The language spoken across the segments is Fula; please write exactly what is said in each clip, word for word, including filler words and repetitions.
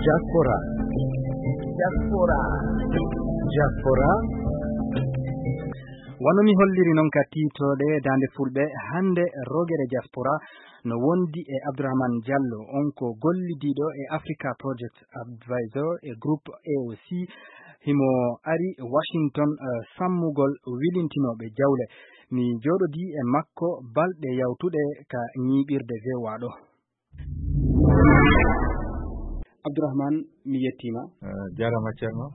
Diaspora. Diaspora. Diaspora. Wano mi holliri non ka tiitooɗe Daande Fulɓe, hannde rogere diaspora no wondi e Abdourahmane Diallo, on ko gollidiiɗo e Africa Project Advisor e Groupe A O C. Himo ari Washington, eh, sammugol wilintinooɓe jawle. Mi jooɗodii e makko balɗe yawtuɗe ka ñiiɓirde V O A ɗo. Abdourahmane, mi yettiima. Eh, jaaraama, Ceerno.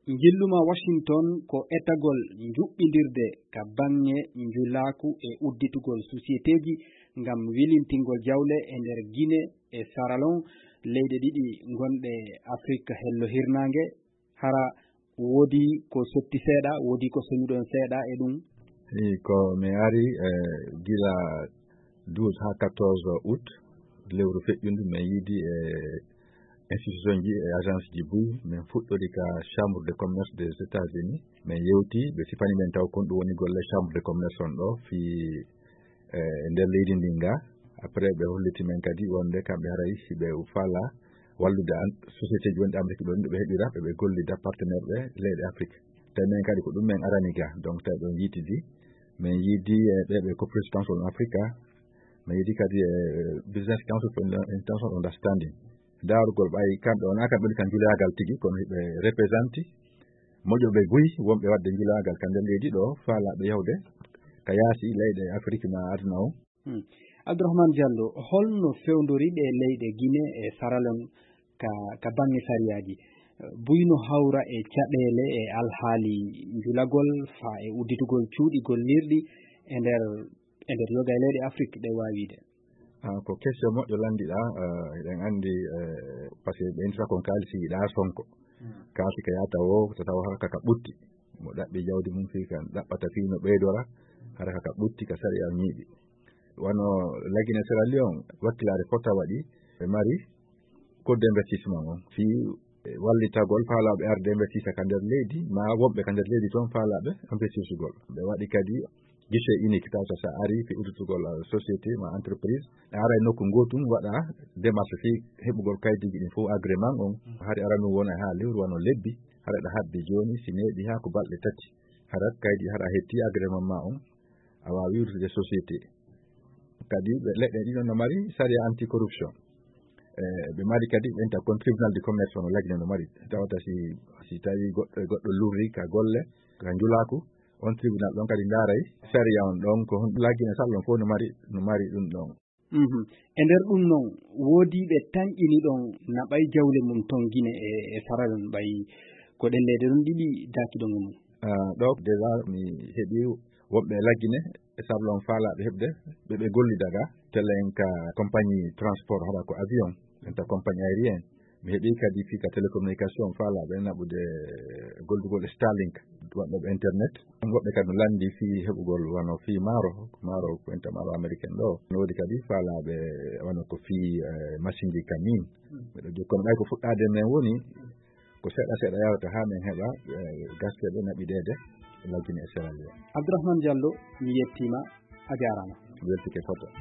Njillu maa Washington ko etagol njuɓɓindirde ka baŋŋe njulaaku e udditugol sosiyeteeji ngam wilintingol jawle e nder Gine e Saralon, leyɗe ɗiɗi gonɗe Afrik hello hirnaange. Hara woodi ko sotti seeɗa, woodi ko soñuɗon seeɗa e ɗum? Eyi, ko mi ari, eh, gila douze haa quatorze août, lewru feƴƴundu, min yiidi e institution ji e agence ji buy, min fuɗɗori ka Chambre de Commerce des États-Unis. Min yewti, ɓe sifani min taw kon ɗum woni golle Chambre de Commerce on ɗo fii, eh, nder leydi ndin ga. Après, ɓe holliti min kadi wonde kamɓe haray si ɓe faala wallude an, société ji wonɗi Amérique ɗon, ɓe heɓira, ɓe, ɓe gollida partenaire ɓe leyɗe Afrique. Tawi min kadi ko ɗum min arani ga. Donc, tawi ɗon yiitidi, min yiidi e ɓe, ɓe ko Présidence on Africa, min yiidi kadi e Business Council for International Understanding. Daarugol ɓay kamɓe wonaa kamɓe woni ka njulaagal tigi, kono hiɓe représenté moƴoɓe buy wonɓe waɗde njulaagal ka nder leydi ɗo, faalaaɓe yahude ka yaasi leyɗe Afrik ma aduna o. Hmm. Abdourahmane Diallo, holno fewndori ɗe leyɗe Gine e Saralon ka, ka baŋŋe sariyaaji? Buy no hawra e caɗeele e alhaali njulagol, faa e udditugol cuuɗi gollirɗi e nder, e nder yoga e leyɗe Afrik ɗe waawiide? Ah, ko question moƴƴo lanndiɗaa, eh, eɗen anndi, eh, par ce que ɓe intra kon kaalisi yiɗaa Sonko. Hmm. Kaalisi ka yaata o, so tawa hara ka ɓutti. Mo ɗaɓɓi jawdi mum fii kan, ɗaɓɓata fii no ɓeydora, hara ka ɓutti ka sariya ñiiɓi. Wano La Guinée Sierra Leone, wakkilaare fota waɗi, ɓe mari code d'investissement on. Fii, eh, wallitagol faalaaɓe arde investisa ka nder leydi, ma wonɓe ka nder leydi toon faalaaɓe investisugol. Ɓe waɗi kadi guichet unique, tawata sa ari fii udditugol, eh, société ma entreprise, a aray nokku ngootum, waɗa démarche fii heɓugol kaydiiji ɗin fof, agrément on. Hari aranun wona haa lewru wano lebbi, hara ɗa habbi jooni, si neeɓi haa ko balɗe tati, hara kaydi, hara a hetti agrément ma on, a waawi wirtude société. Kadi ɓe, leɗɗe ɗiɗon no mari sariya anti-corruption. Eh, ɓe mari kadi ɓen ta kon tribunal de commerce on La Guinée no mari. Tawata si, si tawi goɗɗo, goɗɗo lurri ka golle, ka njulaaku, on tribunal ɗon kadi ndaaray sariya on ɗon, ko hon La Guinée Saralon fof no mari, no mari ɗum ɗon. Mhm. E nder ɗum non, woodi ɓe tanƴini ɗon naɓay jawle mum ton Gine e, e Saralon ɓay ko ɗen leyɗe ɗon ɗiɗi daaki ɗon e mum? Ah, ɗo déjà mi heɓi wonɓe La Guinée e Saralon faalaaɓe heɓde ɓe, ɓe gollida ga, telen ka compagnie transport, hara ko avion, enta compagnie aérienne. Mi heɓi kadi fii ka télécommunication faalaaɓe naɓude gollugol Starlink, waɗɗoɓe internet. Woɓɓe kadi no lanndi fii heɓugol wano fii maaro, maaro ko enta maaro américain ɗo. No woodi kadi faalaaɓe wano ko fii, eh, machine ji camion. Miɗo jokkono ɓay ko fuɗɗaade men woni, ko seeɗa seeɗa yawata haa men heɓa, eh, gasteɓe naɓideede La Guinée e Sierra Leone. Abdourahmane Diallo, mi yettiima, a jaaraama. Mi weltike foto.